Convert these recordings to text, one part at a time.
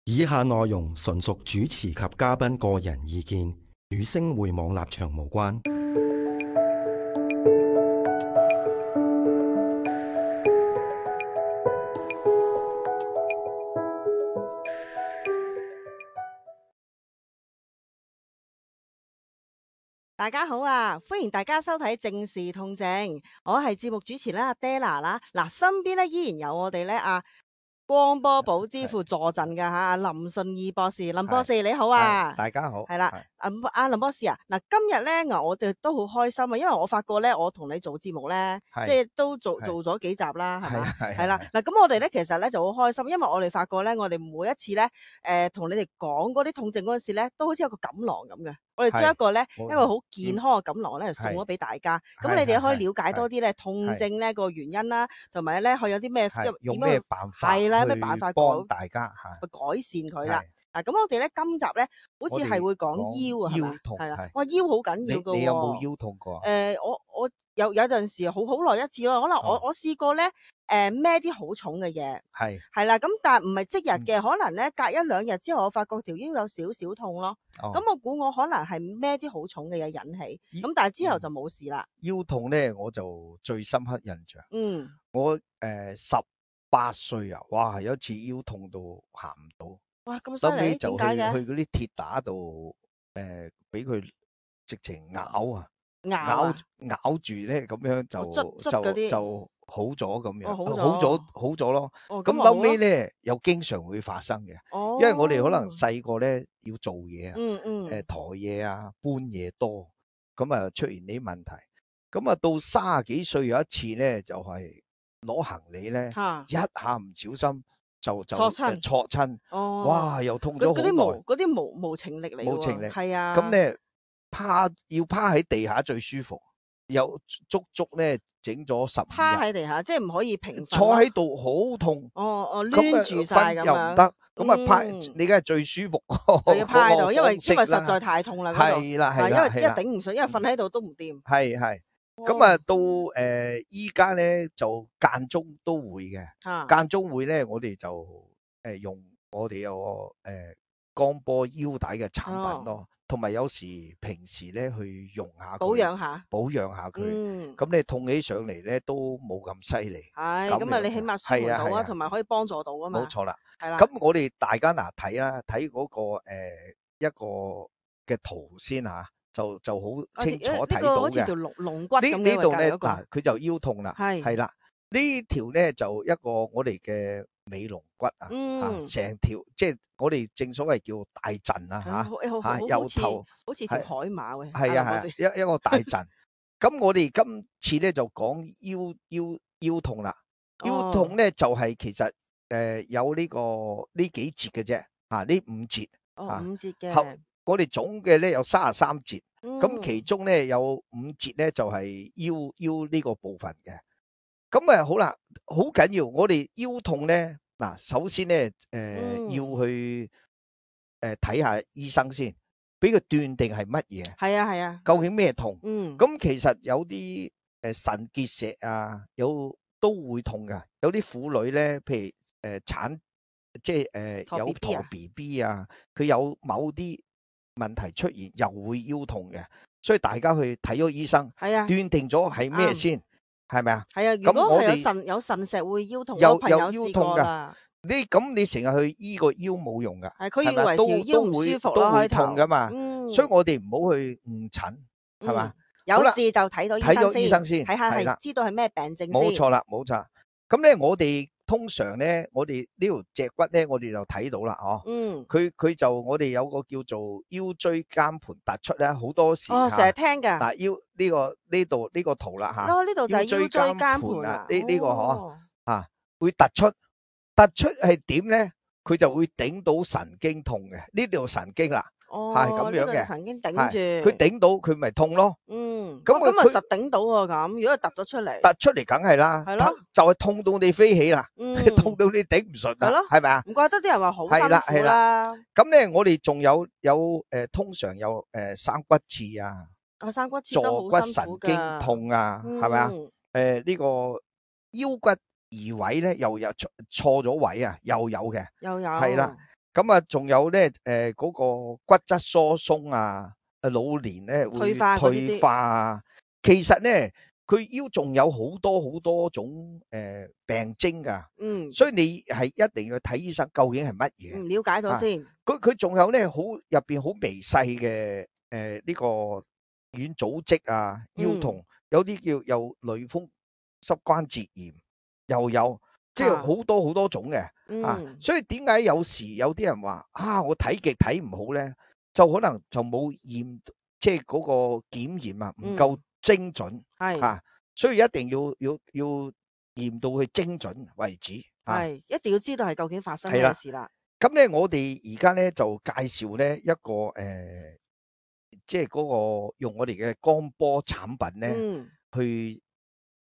以下內容純屬主持及嘉賓個人意見，與星匯網立場無關。大家好啊！歡迎大家收睇正視痛症，我係節目主持啦，阿 Della 啦。嗱，身邊咧依然有我哋咧光波寶之父坐鎮嘅吓，林順義博士，林博士你好啊！大家好，係啦，林博士啊，嗱，今日咧我哋都好開心啊，因為我發覺咧，我同你做節目咧，即係都做咗幾集啦，係嘛？係啦，嗱，咁我哋咧其實咧就好開心，因為我哋發覺咧，我哋每一次咧，同你哋講嗰啲痛症嗰陣時咧，都好似有個錦囊咁嘅。我哋將一個好健康嘅錦囊咧，送咗俾大家。咁你哋可以了解多啲咧痛症咧個原因啦，同埋咧佢有啲咩用咩辦法係啦，有咩辦法幫大家去改善佢啦。嗱，咁我哋咧今集咧好似係會講腰啊，腰痛係啦，哇，腰好緊要噶。你有冇腰痛過？我有陣時好耐一次咯，可能我試過咧，孭啲好重嘅嘢，係啦，咁但係唔係即日嘅，可能咧隔一兩日之後，我發覺條腰有少少痛咯。咁我估我可能係孭啲好重嘅嘢引起，咁但係之後就冇事啦。腰痛咧，我就最深刻印象。我18歲啊，哇，有一次腰痛到行唔到。哇，咁犀利！點解嘅？去嗰啲鐵打度，俾佢直情咬住咧，咁樣就好咗咁樣，好咗咯。咁後尾咧又經常會發生嘅，因為我哋可能細個咧要做嘢啊，抬嘢啊，搬嘢多，咁啊出現呢啲問題。咁啊到30幾歲有一次咧，就係攞行李咧，一下唔小心。就挫親，哇！又痛咗好耐。嗰啲無情力嚟喎，無情力係啊。咁咧要趴喺地下最舒服，又足咧整咗15日。趴喺地下，即係唔可以平瞓。坐喺度好痛。攣住晒咁樣。又唔得，咁啊趴，你梗係最舒服。就要趴喺度，因為實在太痛啦。係啦，因為頂唔順，因為瞓喺度都唔掂。係。咁啊，到依家咧就間中都會嘅，間中會咧，我哋就用我哋有個光波腰帶嘅產品咯，同埋有時平時咧去用下保養下佢，咁你痛起上嚟咧都冇咁犀利。係，咁啊你起碼舒緩到啊，同埋可以幫助到啊嘛。冇錯啦，係啦。咁我哋大家睇嗰個一個嘅圖先吓。就好清楚睇到嘅，好似條龍骨咁樣呢度咧，嗱，佢就腰痛啦，係啦，呢條咧就一個我哋嘅尾龍骨啊，成條即係我哋正所謂叫大陣啊，吓，由頭好似條海馬嘅，係啊，一個大陣。咁我哋今次咧就講腰痛啦，腰痛咧就係其實有呢幾節嘅啫，呢5節，五節嘅。我哋總嘅咧有33節，咁其中咧有5節咧就係腰呢個部分嘅。咁啊好啦，好緊要，我哋腰痛咧嗱，首先咧要去睇下醫生先，俾佢斷定係乜嘢。係啊，究竟咩痛？咁其實有啲腎結石啊，都會痛噶。有啲婦女咧，譬如產即係有陀 BB 啊，佢有某啲問題出現又會腰痛嘅，所以大家去睇咗醫生，斷定咗係咩先，係咪啊？係啊，如果係有腎石會腰痛，有朋友試過啦。你成日去醫個腰冇用噶，係佢以為條腰唔舒服都會痛噶嘛，所以我哋唔好去誤診，係嘛？有事就睇到醫生先，睇下係知道係咩病症先。冇錯啦，冇錯。咁咧，我哋通常咧，我哋呢條脊骨咧，我哋就睇到啦，佢就我哋有個叫做腰椎間盤突出咧，好多時成日聽嘅。嗱，腰呢個圖啦吓，呢度就係腰椎間盤啊，呢個會突出係點咧？佢就會頂到神經痛嘅，呢條神經啦，係咁樣嘅，神經頂住，佢頂到佢咪痛咯。咁啊實頂到啊咁，如果突咗出嚟，梗係啦，就係痛到你飛起啦，痛到你頂唔順啦，係咪啊？唔怪得啲人話好辛苦啦。咁咧，我哋仲有通常有生骨刺啊，生骨刺都好辛苦㗎，坐骨神經痛啊，係咪啊？呢個腰骨移位咧又有錯咗位啊，又有嘅，係啦。咁啊，仲有咧嗰個骨質疏鬆啊，老年咧會退化啊。其實咧，佢腰仲有好多種病徵噶。所以你係一定要睇醫生，究竟係乜嘢？了解咗先。佢仲有咧，入邊好微細嘅呢個軟組織啊，腰痛，有啲叫有類風濕關節炎，又有。即係好多種嘅。所以點解有時有啲人話我睇極睇唔好咧，就可能就冇驗，即係嗰個檢驗啊唔夠精準。所以一定要驗到佢精準為止。一定要知道係究竟發生咩事啦。咁咧，我哋而家咧就介紹咧一個即係嗰個用我哋嘅光波產品咧，去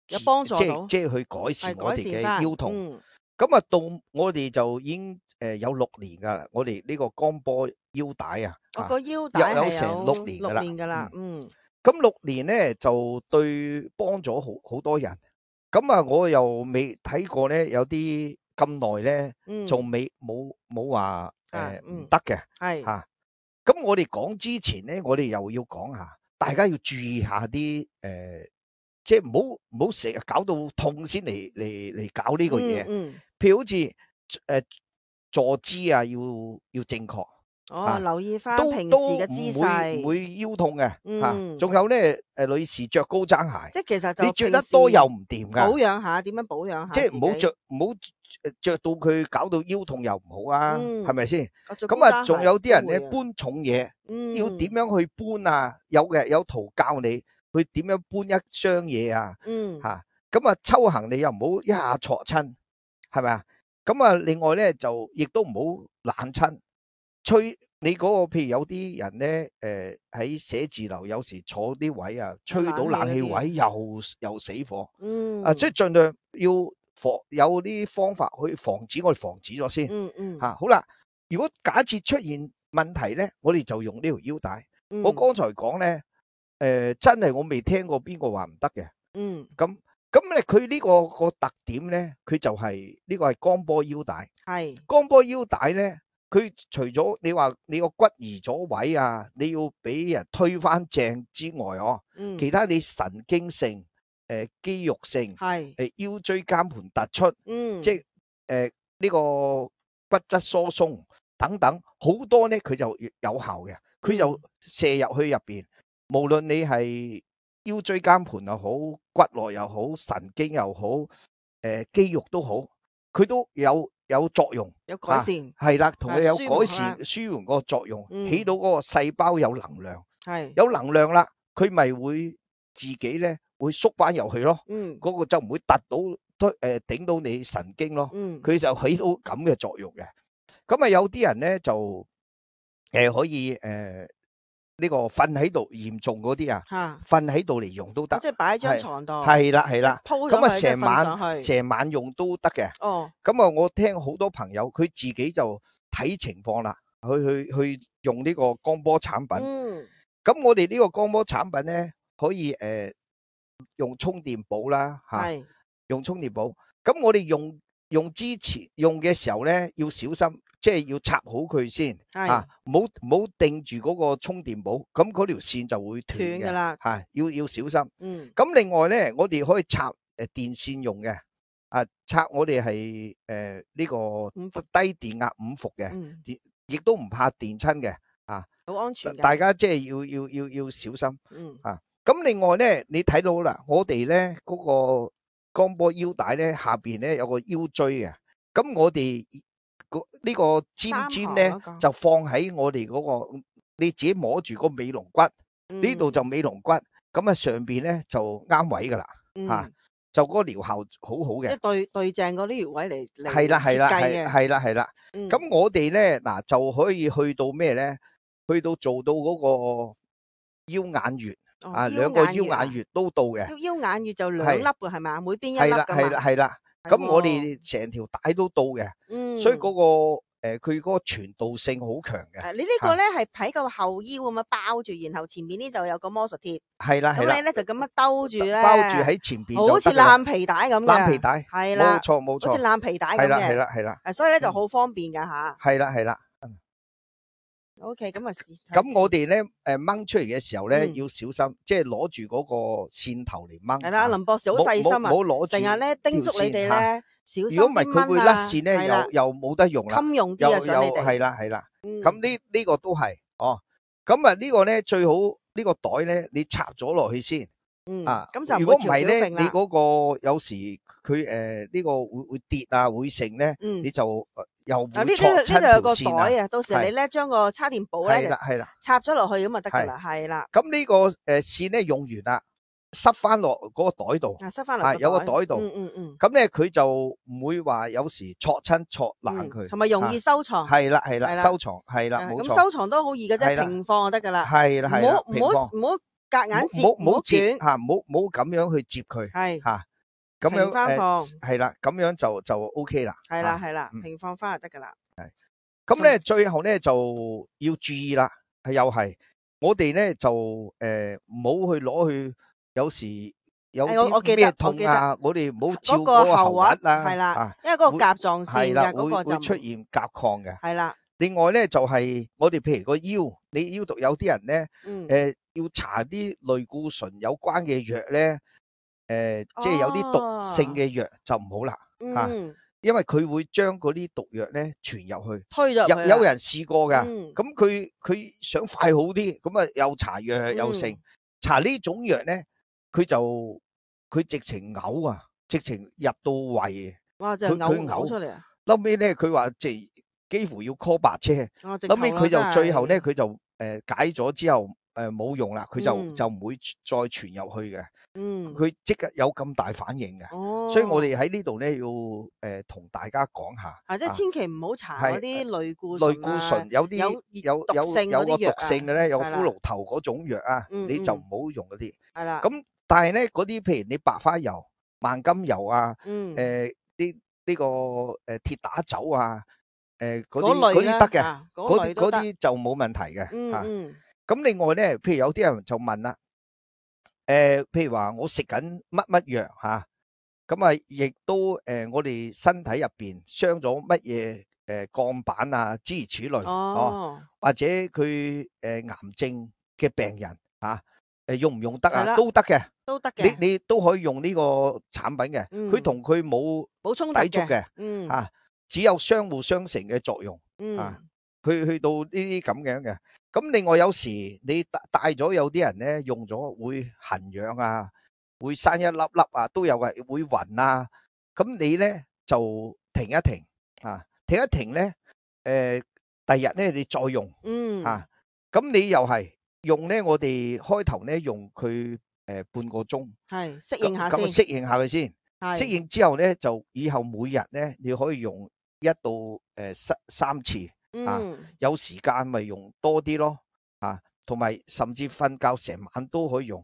有幫助到，即係去改善我哋嘅腰痛。咁啊，到我哋就已經有6年噶啦，我哋呢個光波腰帶啊，個腰帶有成6年噶啦。咁6年咧就對幫咗好多人。咁啊，我又未睇過咧，有啲咁耐咧，仲冇話唔得嘅。咁我哋講之前咧，我哋又要講下，大家要注意下啲即係唔好成日搞到痛先嚟搞呢個嘢。譬如好似坐姿啊，要正確。留意翻平時嘅姿勢，唔會腰痛嘅。仲有咧，女士着高踭鞋，即係其實就你着得多又唔掂噶。保養下，點樣保養下？即係唔好着到佢搞到腰痛又唔好啊，係咪先？咁啊，仲有啲人咧搬重嘢，要點樣去搬啊？有圖教你去點樣搬一箱嘢啊？咁啊，抽行李又唔好一下挫親，係咪啊？咁啊，另外咧就亦都唔好冷親。吹你嗰個，譬如有啲人咧，喺寫字樓有時坐啲位啊，吹到冷氣位又死火。即係盡量要有啲方法去防止，我哋防止咗先。好啦，如果假設出現問題咧，我哋就用呢條腰帶。我剛才講咧，真係我未聽過邊個話唔得嘅。咁咧，佢呢個特點咧，佢就係呢個係光波腰帶。光波腰帶咧。佢除咗你話你個骨移咗位啊，你要俾人推翻正之外，其他你神經性、肌肉性、腰椎間盤突出，即係呢個骨質疏鬆等等好多咧，佢就有效嘅。佢就射入去入邊，無論你係腰椎間盤又好，骨骼又好，神經又好，肌肉都好，佢都有作用，有改善，係啦，同佢有改善、舒緩個作用，起到嗰個細胞有能量，有能量啦，佢咪會自己咧會縮翻入去咯，嗰個就唔會突到頂到你神經咯，佢就起到咁嘅作用嘅。咁啊，有啲人咧就可以呢個瞓喺度嚴重嗰啲啊，瞓喺度嚟用都得，即係擺喺張床度，係啦，咁啊成晚用都得嘅。咁啊，我聽好多朋友佢自己就睇情況啦，去用呢個光波產品。咁我哋呢個光波產品咧，可以用充電寶啦，用充電寶。咁我哋用之前用嘅時候咧，要小心。即係要插好佢先，唔好定住嗰個充電寶，咁嗰條線就會斷嘅啦。要小心。咁另外咧，我哋可以插電線用嘅，插我哋係呢個低電壓5伏嘅，亦都唔怕電親嘅，好安全。大家即係要小心。咁另外咧，你睇到啦，我哋咧嗰個光波腰帶咧下邊咧有個腰椎嘅，咁我哋。呢個尖咧就放喺我哋嗰個，你自己摸住個尾龍骨，呢度就尾龍骨，咁啊上邊咧就啱位噶啦，就嗰個療效好好嘅，即係對正嗰啲穴位嚟係啦，係啦。咁我哋咧嗱就可以去到咩咧？去到做到嗰個腰眼穴，2個腰眼穴都到嘅。腰眼穴就2粒嘅係咪？每邊1粒㗎嘛。係啦。咁我哋成條帶都到嘅，所以嗰個佢嗰個傳導性好強嘅。你呢個咧係喺個後腰咁樣包住，然後前面呢度有個魔術貼。係啦。咁你咧就咁樣兜住咧，包住喺前邊，好似爛皮帶咁嘅。爛皮帶。係啦。冇錯。好似爛皮帶咁嘅。係啦。所以咧就好方便㗎吓。係啦。OK， 咁啊咁我哋咧掹出嚟嘅時候咧要小心，即係攞住嗰個線頭嚟掹。係啦，林博士好細心啊，唔好攞住，成日咧叮囑你哋咧小心啲掹啊。如果唔係佢會甩線咧，又冇得用啦。襟用啲啊，想你哋。係啦。咁呢個都係哦。咁啊呢個咧最好呢個袋咧你插咗落去先。咁就如果唔係咧，你嗰個有時佢呢個會跌啊，會剩咧，你就又會錯親條線啊。袋啊，到時你咧將個叉電寶咧係啦，插咗落去咁就得噶啦，係啦。咁呢個線咧用完啦，塞翻落嗰個袋度，塞翻落有個袋度。咁咧佢就唔會話有時錯親錯爛佢，同埋容易收藏。係啦，收藏係啦，冇錯。咁收藏都好易嘅啫，平放就得噶啦。係啦，唔好夾硬接，唔好捲吓，唔好咁樣去接佢，係吓咁樣係啦，咁樣就 OK 啦。係啦，平放翻就得噶啦。係咁咧，最後咧就要注意啦，又係我哋咧就唔好去攞去，有時有啲咩痛啊，我哋唔好照嗰個喉核啊，係啦，因為嗰個甲狀腺嘅嗰個就會出現甲亢嘅。係啦。另外咧就係我哋譬如個腰，你腰度有啲人咧，要搽啲類固醇有關嘅藥咧，即係有啲毒性嘅藥就唔好啦，吓，因為佢會將嗰啲毒藥咧傳入去，推咗入去。有人試過噶，咁佢想快好啲，咁啊又搽藥又剩，搽呢種藥咧，佢直情嘔啊，直情入到胃，哇，就嘔出嚟啊！後尾咧佢話幾乎要 call 白車，後尾佢就最後咧佢就解咗之後冇用啦，佢就唔會再傳入去嘅。佢即刻有咁大反應嘅，所以我哋喺呢度咧要同大家講下，即係千祈唔好搽嗰啲類固醇，有啲有個毒性嘅咧，有骷髏頭嗰種藥啊，你就唔好用嗰啲。係啦。咁但係咧嗰啲譬如你白花油、萬金油啊，呢個鐵打酒啊。嗰啲得嘅，嗰啲就冇問題嘅吓。咁另外咧，譬如有啲人就問啦，譬如話我食緊乜藥吓，咁啊亦都我哋身體入邊傷咗乜嘢鋼板啊諸如此類，或者佢癌症嘅病人吓，用唔用得啊？都得嘅，都得嘅，你都可以用呢個產品嘅，佢同佢冇衝抵觸嘅，吓。只有相互相成嘅作用，去到呢啲咁樣嘅。咁另外有時你戴咗有啲人咧用咗會痕癢啊，會生一粒粒啊，都有嘅，會暈啊。咁你咧就停一停啊，停一停咧，第日咧你再用，咁你又係用咧，我哋開頭咧用佢半個鐘，係適應下先，咁適應下佢先，適應之後咧就以後每日咧你可以用1到3次啊，有時間咪用多啲咯，同埋甚至瞓覺成晚都可以用。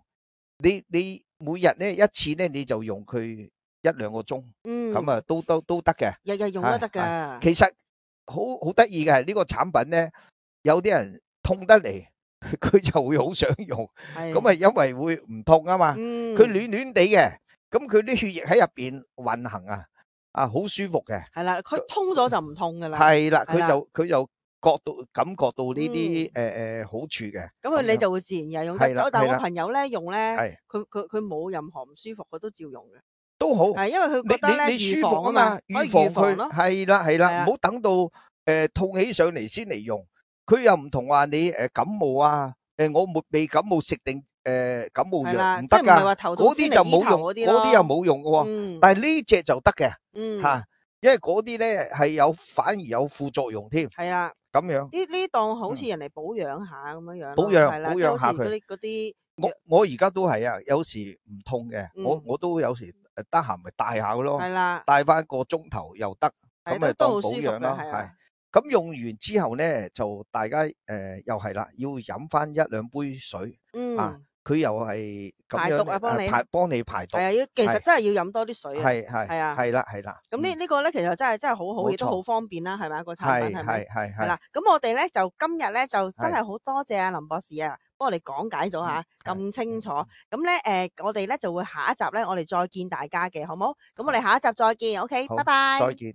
你每日咧一次咧你就用佢1-2個鐘，咁啊都得嘅，日日用都得噶。其實好得意嘅係呢個產品咧，有啲人痛得嚟，佢就會好想用，咁啊因為會唔痛啊嘛，佢暖暖地嘅，咁佢啲血液喺入邊運行啊。好舒服嘅，係啦，佢通咗就唔痛噶啦，係啦，佢就感覺到呢啲好處嘅，咁你就會自然又用得。但係我朋友咧用咧，佢冇任何唔舒服，佢都照用嘅，都好，係因為佢覺得咧你舒服啊嘛，預防佢，係啦，唔好等到痛起上嚟先嚟用，佢又唔同話你感冒啊，我未感冒食定。感冒藥唔得噶，嗰啲就冇用，嗰啲又冇用嘅，但係呢隻就得嘅，吓，因為嗰啲咧係反而有副作用添，係啦，咁樣呢檔好似人嚟保養下咁樣樣，保養下佢嗰啲，我而家都係啊，有時唔痛嘅，我都有時得閒咪戴下咯，係啦，戴翻個鐘頭又得，咁咪當保養咯，係。咁用完之後咧，就大家又係啦，要飲翻1-2杯水，佢又係咁樣幫你排毒。係啊，其實真係要飲多啲水啊。係啊，係啦。咁呢個咧，其實真係好好，亦都好方便啦，係咪個產品係咪？係啦。咁我哋咧就今日咧就真係好多謝阿林博士啊，幫我哋講解咗下咁清楚。咁咧我哋咧就會下一集咧，我哋再見大家嘅，好冇？咁我哋下一集再見，OK，拜拜。再見。